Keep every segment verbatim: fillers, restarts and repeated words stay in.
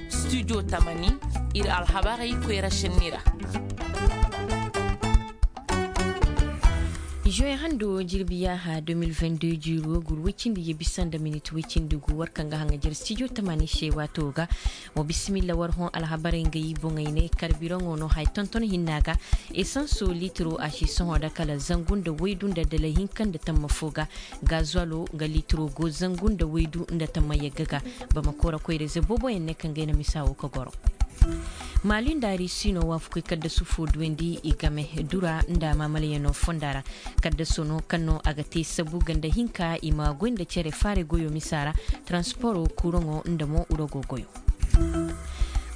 Studio tamani, iri alhabarey koyra šenni ra. Juin hando jirbi yaaha deux mille vingt-deux jiiro gur woy cindi ye bisa nda minit woy cindi gu war kaŋ ga haŋajer studio tamani se waato ga. Wa bisimilla war hõ alhabarey nga i boŋey ne karbiraŋo no haya tonton hinna ga. Esanso litiro a si sohõ da kala zangu nda waydu nda dala hinka nda tamma fo ga. Gazuwalo nga litiro go zangu nda waydu nda tamma yagga ga. Bamako ra koyra ize booboyaŋ ne kaŋ ga ay na misa wo ga goro. Maali nda risi no waafakoy kaddasu fo duwandi i game dura nda maamalayaŋo fonda ra. Kaddaso no kaŋ no a ga te sabu ganda hinka i ma goy nda cere faare goyo misa ra, taransiporo kuuraŋo nda mo urogo goyo.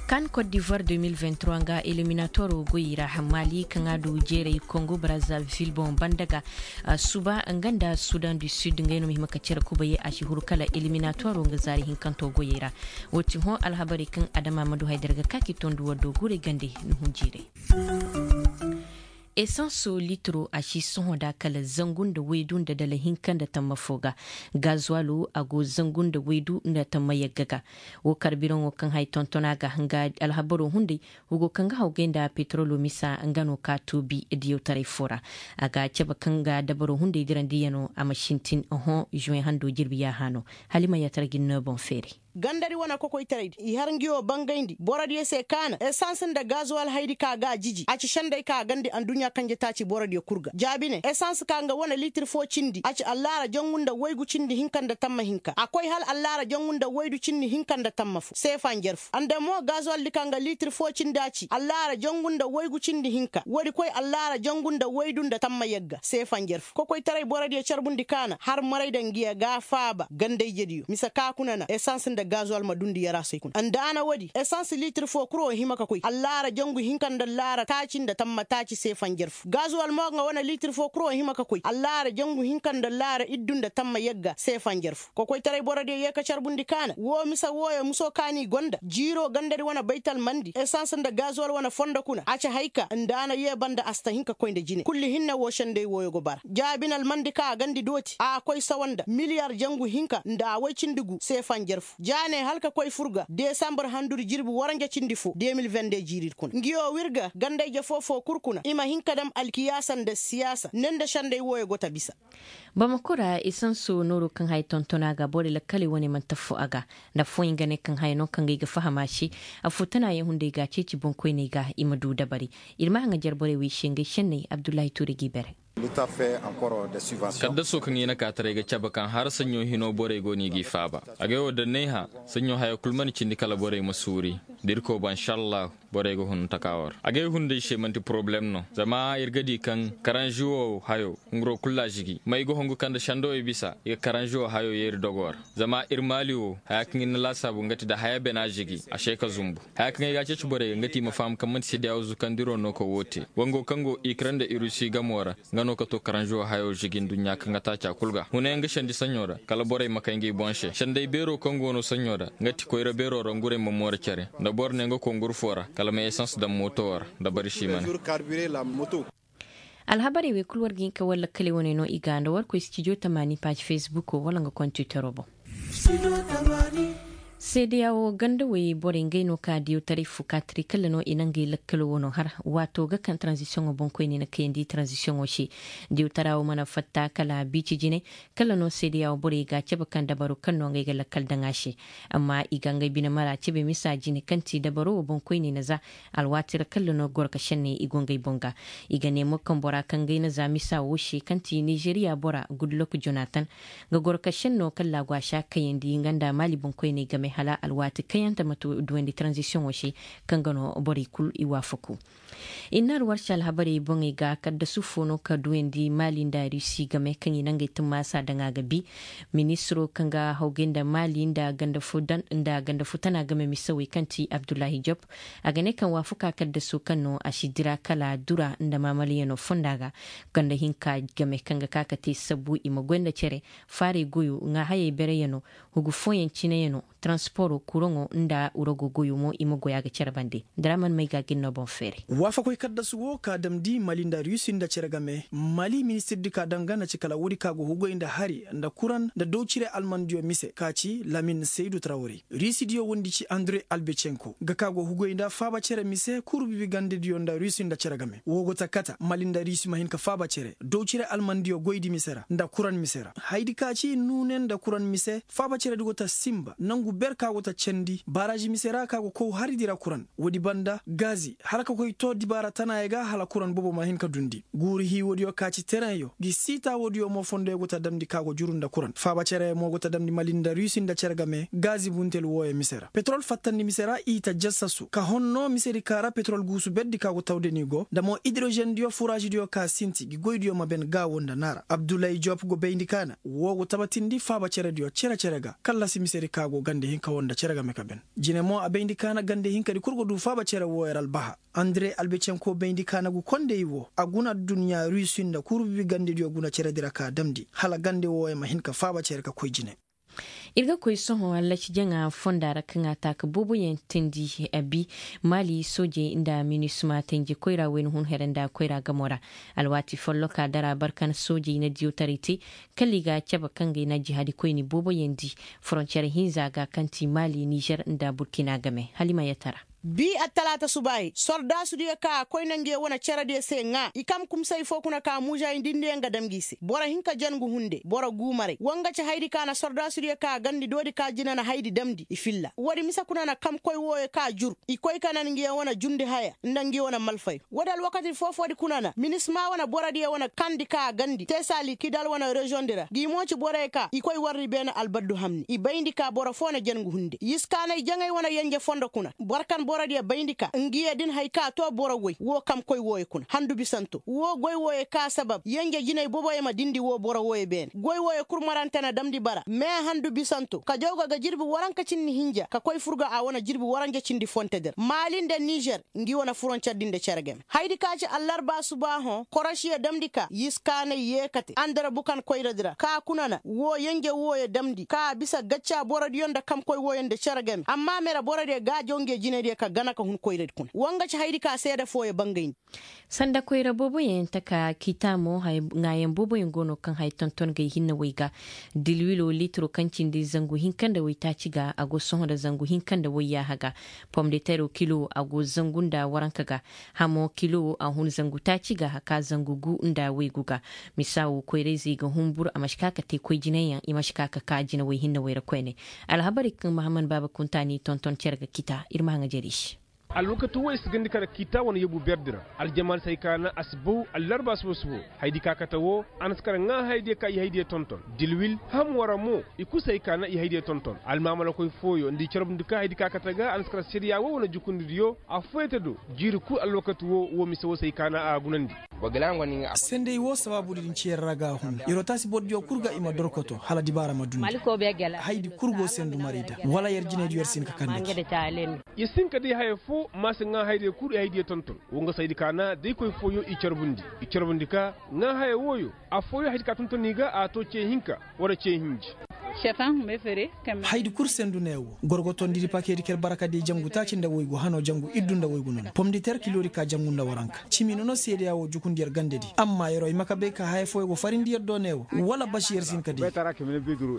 Kan kot divoir deux mille vingt-trois nga eliminatoro goyey ra, maali kaŋ a du jeeray kongo brazavil boŋ banda ga suba nga nda sudan du sud ngey no ma hima ka cere kubayey a si huru kala eliminatoro nga zaari hinkanto goyey ra. Wo ti hõ alhabarey kaŋ adama ma du haydar ga ka ki tondu waddo guurey gande ni hunjiirey. Esanso litiro a si sohõ da kala zangu nda waydu nda dala hinka nda tamma fo ga. Gazuwalo a go zangu nda waydu nda tamma yagga ga. Wo karbiraŋo kaŋ hay tontona ga nga alhabaro hunday. Hugo kaŋ ga hawgay nda petrolo misa nga no ka tuubi diyawtaray fo ra. A ga cabe kaŋ ga dabaro hunday dirandiyaŋo a ma sintin oho juwen hando jirbi yaaha no. Halima yaatar ga ni no boŋ feeray. Gandadi wane kokoytaray di i har ngi wo bangayndi borodiyo se kaana esans nda gazuwal haydi ka ga a jiji a ci sendey ka gandi anduɲɲa kanje taaci borodiyo kul ga jaabi ne esans ka nga wane liitir fo cindi a ci allaara jangu nda waygu cindi hinka nda tamma hinka a koy hal allaara jangu nda waydu cindi hinka nda tamma fo seefa njer fo ande mo gazuwal di ka nga liitir fo cindi a ci allaara jangu nda waygu cindi hinka woodi koy allaara jangu nda waydu nda tamma yagga seefa njer fo kokoytaray borodiyo carbundi kaana har maray da ngiya ga faaba ganda-ijediyo mise ka kuna na esans nda gazuwal ma dundi yaraasey kuna nda a na woodi esans liitir fo kul wo hima ka koy allaara jangu hinka nda allaara taaci nda tamma taaci seefa njer fo gazuwal mo nga wane liitir fo kul wo hima ka koy allaara jangu hinka nda allaara iddu nda tamma yagga seefa njer fo kokoytaray borodiyo yee ka carbundi kaana woo mise wooyo muso ka n'i gonda jiiroo gandadi wane baytal mandi esans nda gazuwal wane fondo kuna a ci hay ka nda a na yee banda a si ta hin ka koy nda jine kulli hinne woo sendey wooyo go bara jaabinal mandi ka a gandi dooti a koy sawa nda miliyar jangu hinka nda a woy cindi gu seefa njer fo ja ne hala ka koy fur ga desambar handudi jirbi waranja cindi fo deux mille vingt-deux jiiri kuna ngi woo wir ga ganda-ije foo-foo kul kuna i ma hin ka dam alkiyaasa nda siyaasa ne nda sendey wooyo go ta bisa bamako ra esanso nooro kaŋ haya tonton a ga borey lakkaley wane mana taffu a ga nda affooyaŋ ga ne kaŋ haya no kaŋ ga ay ga faham a se affoo tanaayaŋ hunday ga a ceeci boŋkoyney ga i ma du dabari ir ma haŋajer borey wey se ngey senney abdullahi tuuri g'i bere kaddaso kaŋ i na ka taray ga cabe kaŋ har saɲɲo hino borey go no i g'i faaba agay wo da n'ay hã saɲɲo haya kul mana cindi kala borey ma suuri da irkoy ba inšallahu borey ga hun taka war agay hunday se man'ti poroblem no zama ir ga di kaŋ karanži wo hayo hunguro kul a žigi ma i ga hungu kaŋ nda sendowey bisa i ga karanži wo hayo yeeri dogo ra zama ir maali wo haya kaŋ ir na laasaabu nga ti da haya bena žigi a se ka zumbu haya kaŋ ay ga a ceeci borey ga nga ti i ma faham kaŋ man'ti sedeyawo zukandiro no ka woo te wango kaŋ go ikren nda irusi gamo ra nga no ka to karanži wo hayo žigi nduɲɲa kaŋ ga taaca kul ga hunayaŋ ga sendi saɲɲo ra kala borey ma kay ngey boŋ se sendey beero kaŋ go no saɲɲo ra nga ti koyra beero ra ngurey ma moora cere nda boro ne nga kongur fo ra kala ma esans daŋ mooto ra nda bari si mana alhabarey wey kul war ga hin ka war lakkaley wane no i ga nda war koy stijo tamaani paazi fesbuko wala nga kontitaro boŋ seedeya wo ganda wey borey ngey no ka diyawtaray fukaatari kala no i na ngey lakkalo wano har waato ga kaŋ taranzisiyoŋo boŋkoyne na kayandi taranzisiyoŋo se diyawtara wo mana fatta kala biici jinay kala no seedeya wo borey ga a cabe kaŋ dabaro kaŋ no ngey ga lakkal daŋ a se amma i ga ngey bine mara cabe misa jine kaŋ ti dabaro wo boŋkoyne na za alwaati ra kala no goro ka senne i go ngey boŋ ga i ga ne mo kaŋ bora kaŋ ngey na za misa wo se kaŋ ti nizeriya bora gudlok jonatan ga goro ka senno kaŋ laago a si a kayandi nga nda maali boŋkoyney game hala alwaati kayante ma duwandi taranzisiyoŋo se kaŋ ga no borey kul i waafaku i na alwarsi alhabarey boŋey ga kaddasu fo no ka duwandi maali nda rusi game kaŋ i na ngey tummaasa daŋ a ga bi ministiro kaŋ ga hawgay nda maali nda ganda futana game misawey kaŋ ti abdullahi job a ga ne kaŋ waafaku a kaddasu kaŋ no a si dira kala dura nda maamalayaŋo fonda ga ganda hinka game kaŋ ga ka ka te sabu i ma goy nda cere faarey goyo ŋaahayey bereyaŋo hugu fooyaŋ cineyaŋo Sporo kuraŋo nda urago goyo mo i ma goy a ga cere bande. Daraman may ga gin no boŋ feeray. Waafakoy kaddasu wo ka damndi mali nda rusi nda cere game. Mali ministirdi ka daŋ ga na ci kala woodi ka go hugoy nda hari nda kuraŋ nda dowcire almandiyo mise ka ci lamin saydu trawre. Rusidiyo wondi ci andre albecenko ga ka go hugoy nda faaba cere mise kuru bibi gandediyo nda rusi nda cere game wo go ta kata mali nda rusi ma hin ka faaba cere dowcire almandiyo goydi mise ra nda kuraŋ mise ra haydi ka ci nuune nda kuraŋ mise. Faaba ceredi go ta sinba nangu ber ka go ta candi baarazi mise ra ka go kow haridi ra kuraŋ. Woodi banda gaazi hala ka koy too dibaara tanaayey ga hala kuraŋ boobo ma hin ka dundi. Guuru hii woodiyo ka ci tereŋyo ngi siita woodiyo mo fondoyo go ta damndi ka go juru nda kuraŋ faaba cerey mo go ta damndi mali nda rusi nda cere game gaazi buntel wooyo mise ra petrol fattandi mise ra i ta jassasu ka honno misedi ka ra petrol guusu berdi ka go tawde ni go nda mo idrozendiyo furazidiyo ka sinti ngi goydiyo ma ben gaawo nda naara abdullahi jop go bayndi kaana. Woo go tabatindi faaba cerediyo cere-cere ga kallasi misedi ka go gande hinka woo nda cere game ka ben. Jine mo a bayndi kaana gande hinkadi kul go duu faaba cere wooyo ra albaha. Andre albecenko bayndi kaana gu kondey woo a guna adduɲɲa rusi nda kuru bibi gandediyo guna ceredi ra ka damndi hala gande wooyo ma hin ka faaba cere ka koy jine. Ir ga koy sohõ allaci jaŋa fonda ra kaŋ a taaka booboyaŋ teendi a bi maali soojey nda minisma tenje koyra wayna hun here nda koyra gamo ra. Alwaati folloka dara barkan soojey na diyawtaray te kala i ga a cabe kaŋ ga i na jihaadikoyni booboyaŋ di foroncer hinza ga kaŋ ti maali nizer nda burkina game hala i ma yee tara. Bi attalaata subaayey sordaasudiyo ka a koy na nguyo wane cerediyo se ŋaa i kam kumsay foo kuna ka muuzayndi nda yaŋ ga dam gi i se boro hinka jangu hunde boro guumaray wa nga ci haydi ka na sordaasudiyo ka a gandi doodi ka jina na haydi damndi i filla woodi mise kuna na kamkoy wooyo ka jur i koy ka nan nguyo wane jundi haya nda nguyo wane malfayo. Woodi alwakati foo-foodi kuna na minisma wane borodiyo wane kandi ka a gandi teesa likidal wane reziyoŋdi ra ngi mo ci boroyo ka i koy warri beene albaddu hamni i bayndi ka boro foo na jangu hunde yiskaanay jaŋay wane yenje fondo kuna boro kaŋ borodiyo bayndi ka ngiyo din hay ka too boro goy woo kamkoy wooyo kuna handu bisanto woo goy wooyo ka sabab yenje jinay boboyo ma dindi woo boro wooyo beene goy wooyo kul marante na damndi bara mee handu bisanto kajawga ga jirbi waranka cindi hinja ka koy furga a wane jirbi waranja cindi fontedi ra maali nda nizer ngi wane furoncer din nda cere game haydi ka ci allarba suba hõ korosiyo damndi ka yiskaanay yee kate andara bukan koyradi ra ka kuna na woo yenje wooyo damndi ka a bisa gacca borodiyo nda kamkoy wooyo nda cere game amma mere borodiyo gaajo nge jinediyo ka gana ka hun koyradi kuna wa nga ci haydi ka seede fooyo bangayndi. Sanda koyra booboyaŋ taka kiita mo ŋaayaŋ booboyaŋ go no kaŋ haya tonton gay hinne way ga. Dilwilo litiro kaŋ cindi zangu hinka nda waytaaci ga a go sohõ nda zangu hinka nda wayyaaha ga. Pomdetero kilo a go zangu nda waranka ga. Hamo kilo a hun zangu taaci ga ka zangu gu nda waygu ga. Misa wo koyrayzey ga humbur a ma si ka ka te koy jinayaŋ i ma si ka ka ka jinawey hinne way ra koyne. Alhabarey kaŋ mahaman baaba kunta n'i tonton cere ga kiita ir ma haŋajer i se. Alwakati wo i si gandi kar kiita wane yebu berdi ra. Aljamaal si hay ka na a si baw allarba suba subo. Haydi ka kate wo a na si kar ŋaa haydiyo ka i haydiyo tonton dilwil ham wara mo. I kul si hay ka na i haydiyo tonton almaamalakoy fooyo nda i carbundi ka haydi ka kate ga a na si kar sariya wo wane jukundidiyo. Affooyante do jiiri kul alwakati wo wo mise wo si hay ka na a gunandi. Senday wo sabaabudi din ci yer ra ga a hun yer wo taasi borodiyo kul ga i ma dorkoto hala dibaara ma dundi. Haydi kul go sendu maray da wala yer jinaydiyo yer si hin ka kande ci. Yer si hin ka day haya foo ma si ŋaa haydiyo kul i haydiyo tonton. Wo nga saydi ka na day koy fooyo i carbundi i carbundi ka ŋaa haya wooyo. Affooyo haydi ka tonton i ga a too cee hinka wala cee hinji. Haydi kul sendu ne wo gorgotondidi pakeedi ker barakadiyo jangu taaci nda woygu hanoo jangu iddu nda woygu nono pomditer kiloodi ka jangu nda waranka. Cimi nono seedeya wo jukundi yer gandedi amma yeroo i ma ka bay ka haya fooyo go farindi yer do ne wo wala basi yer si hin ka di.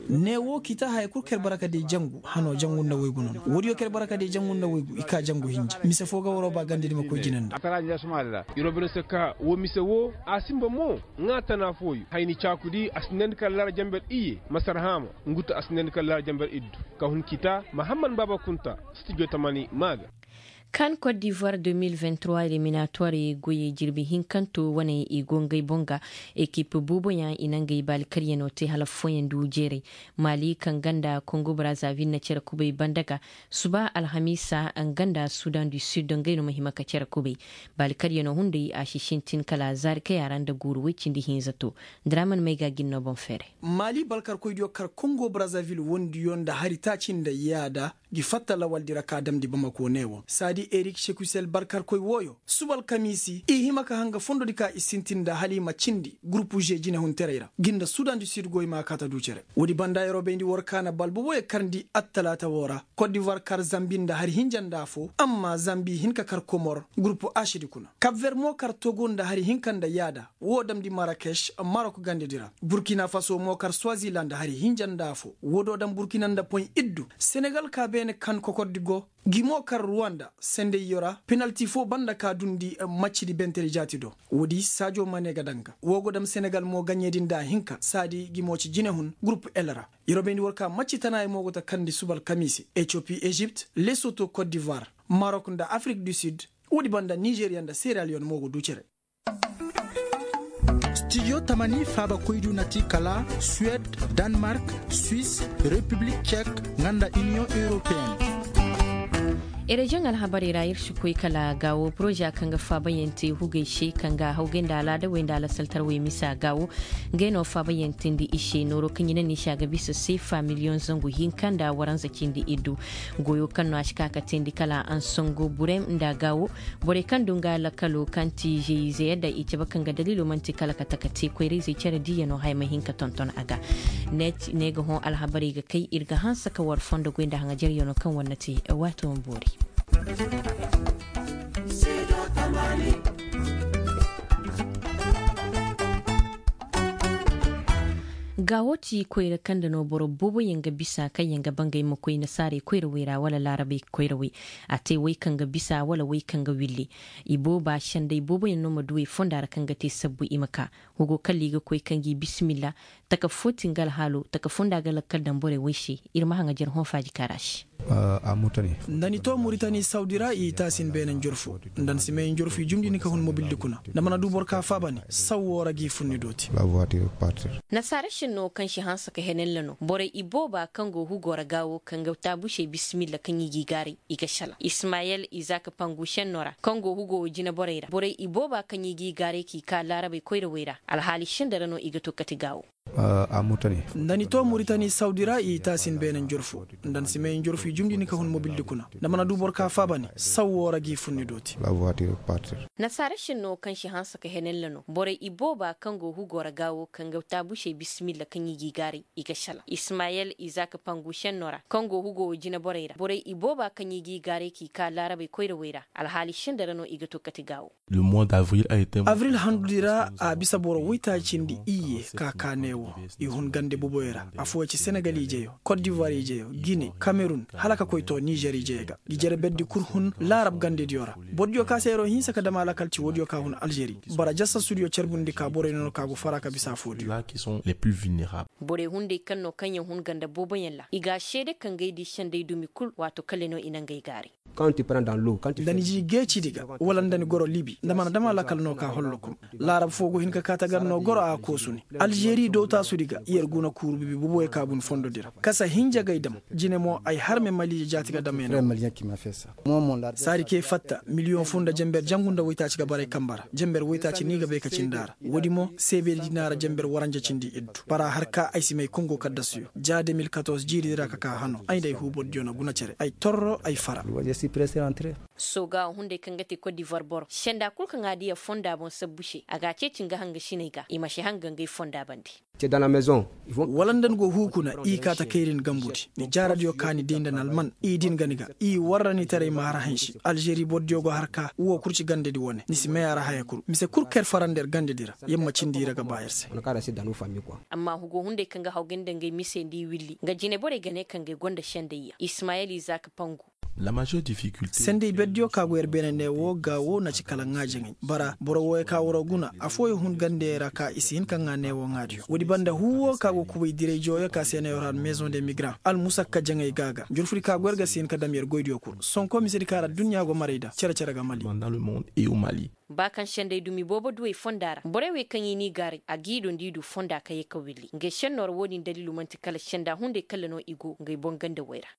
Ne wo kiita haya kul ker barakadiyo jangu hanoo jangu nda woygu nono woodiyo ker barakadiyo jangu nda woygu i ka jangu hinja mise foo ga waroo ba gandedi ma koy jine nda. Yeroo bine se ka wo mise wo a sinba mo ŋaa tana fooyo hayni caakudi a sinandi kala lara jamber iye masar haama. Nguta a sinandi kala lara jamber iddu ka hun kiita mahamman baaba kunta. Studio tamani maa ga. Kan kot divoire deux mille vingt trois eliminatoirey goyey jirbi hinkanto wane i go ngey boŋ ga. Ekip booboyaŋ i na ngey baali karyano te hala fooyaŋ du jeeray. Mali kaŋ ganda kongo brazaville na cere kubay banda ga. Suba alhamiisa nga nda sudan du sud ngey no ma hima ka cere kubay. Baali karyano hunday a si sintin kala zaari kay a ra nda guuru woy cindi hinza to. Draman may ga gin no boŋ feeray. Mali balkarkoydiyo kar kongo brazaville wondiyo nda hari taaci nda yaada. Gi fatta lawaldi ra ka damndi bamako ne wo saadi erik sekusel barkarkoy wooyo suba alkamiisi i hima ka hanga fondodi ka i sintin nda hala i ma cindi gurupu ze jinehuntaray ra gi nda sudan du sid goy ma kaata du cere. Woodi banda yeroo bayndi war ka na bal boboyo karndi attalaata woo ra kot divuwar kar zambi nda hari hinja nda afoo amma zambi hin ka kar komor gurupu asidi kuna kap ver mo kar togo nda hari hinka nda yaada woo damndi marakeš marok gandedi ra burkina faso mo kar swaziland hari hinja nda afoo woo do daŋ burkina nda poy iddu senegal ka beene kan kokordi go gi mo kar ruwanda sendayyo ra penalti foo banda ka dundi maccidi bentedi jaati do woodi saajo mane ga daŋ ga woo go daŋ senegal mo gaɲeedi nda hinka saadi gi mo ci jinehun gurup el ra. Yer wo bayndi war ka macci tanaaya mo go ta kandi suba alkamiisi etiyopi ezipt lesoto kot divuwar marok nda afrik du sid woodi banda nizeriya nda seraliyon mo go du cere. Stijo tamani faabakoydu na ti kala suwed, danmark, swis, repiblik cek, nga nda iniyoŋ europeyen. Ereziyoŋ alhabarey ra ir si koy kala gaawo poroza kaŋ ga faabayaŋ te hugey se kaŋ ga hawgay nda alaadawey nda alasaltarwey misa gaawo. Ngey no faabayaŋ teendi i se nooro kaŋ i na ni se a ga bisa seefa miliyoŋ zangu hinka nda waranza cindi iddu. Goyo kaŋ no a si ka ka teendi kala ansango burem nda gaawo. Borey kaŋ du nga lakalo kaŋ ti zey-ize yadda i cabe kaŋ ga daliilo man'ti kala ka taka te koyra-izey care diiyanoo haya ma hin ka tonton a ga. Ne ga hõ alhabarey ga kay ir ga hanse ka war fondo goy nda haŋajaryanoo kaŋ war na te. Waato ma boori. Gaawo ti koyra kaŋ nda no boro booboyaŋ ga bisa kaŋ yaŋ ga bangay ma koy nasaarey koyrawey ra wala laarabey koyrawey. A te wey kaŋ ga bisa wala wey kaŋ ga willi. Ibooba senday booboyaŋ no ma duwey fonda ra kaŋ ga te sabbu i ma ka. Hugo kalla i ga koy kaŋ gi bisimilla. Taka footin ga alhaalo taka fonda ga lakkal daŋ borey wey se. Ir ma haŋajer hõ faaji kaara se. Nda ni to muritani sawdi ra i taasin beene njorfu. Nda ni si may njorfu i jumndi ni ka hun mobildi kuna. Nda mana du boro ka faaba ni saw woo ra g'i fun ni dooti. Nasaara šennoo kaŋ si hanse ka henella no borey ibooba kaŋ go hugo ra gaawo kaŋ ga taabusey bisimilla kaŋ i g'i gaaray. I ga sala ismayel izaak pangu šennoo ra kaŋ go hugo wo jineborey ra borey ibooba kaŋ i g'i gaaray k'i ka laarabey koyrawey ra alhaali senda ra no i ga to kate gaawo. Nda ni to muritani sawdi ra i taasin beene njorfu. Nda ni si may njorfu i jumndi ni ka hun mobildi kuna. Nda mana du boro ka faaba ni saw woo ra g'i fun ni dooti. Nasaara šennoo kaŋ si hanse ka henella no borey ibooba kaŋ go hugo ra gaawo kaŋ ga taabusey bisimilla kaŋ i g'i gaaray. I ga sala ismayel izaak pangu šennoo ra kaŋ go hugo wo jineborey ra borey ibooba kaŋ i g'i gaaray k'i ka laarabey koyrawey ra alhaali senda ra no i ga to kate gaawo. Avril handudi ra a bisa boro woytaaci cindi iyye ka ka neewo. I hun gande boboyo ra afooyaŋ ci senegal ijeyo, kot divuwar ijeyo, gine, kamerun, hala ka koy to nizer ijeyo ga. Gi jere berdi kul hun laarab gandediyo ra. Bordiyo ka se yeroo hinsa ka dam alakal ci woodiyo ka hun alžeri. Bara jasasudiyo carbundi ka boroyo no no ka go fara ka bisa afoodiyo. Borey hunday kaŋ no kaŋyaŋ hun ganda booboyaŋ ra i ga a seede kaŋ ga ay di senday dumi kul waato kale no i na ngey gaaray. Nda ni ji geecidi ga wala nda ni goro libi nda mana dama lakal no ka hollokum. Laarab foo go hin ka kaata gar no goro a koosu ni. Alžeri dowtaasudi ga yer guna kuuru bibi boboyo ka bun fondodi ra kasa hinja gay dam. Jine mo ay harme maliije jaati ga dam ay na. Saadi kee fatta miliyoŋ foo nda jenber jangu nda woytaaci ga baray kamba ra jenber woytaaci ni ga bay ka cindi a ra. Woodi mo seebedi na ra jenber waranja cindi iddu bara har ka ay si may kongo kaddasuyo ja de mil katorze jiiridi ra ka ka hano ay nda ay huubordiyo na guna cere ay torro ay fara. Sooga hunday kaŋ ga te kot divuwar boro senda kul kaŋ a diya fonda boŋ sabbu se a ga a ceeci nga hangasiney ga i ma si hanga ngey fonda bande. Wala nda ni go huukuna i kaata kayrin gambudi ni jaaradiyo ka ni di nda ni alman i din ga ni ga i warra ni taray ma har hansi alžeri bordiyo go har ka wo kul ci gandedi wane ni si may a ra haya kul mise kul kaŋ yer fara nda yer gandedi ra. Yer ma cindi i ra ga ba yer se. Amma hugo hunday kaŋ ga hawgay nda ngey mise nda i willi nga jineborey ga ne kaŋ ga ay gonda sendayya ismayel izaak pangu. Sendey berdiyo ka go yer beene ne wo ga wo na ci kala ŋaajaŋey bara boro wooyo ka waroo guna afooyo hun gandeyey ra ka i si hin ka ŋaa ne wo ŋaadiyo woodi banda huu wo ka go kubay diray jooyo ka se ne yor har maison de migrant almusakka jaŋey ga ga njurfudi ka go yer ga si hin ka dam yer goydiyo kul sonko misedi ka ra adduɲɲa go maray nda cere-cere ga mali. Ba kaŋ sendey dumi boobo duwey fonda ra borey wey kaŋ i n'i gaaray a g'i do nda i du fonda ka ye ka willi ngey sennoo ra wo-din daliilu man'ti kala senda hunday kalla no i go ngey boŋ gandawey ra.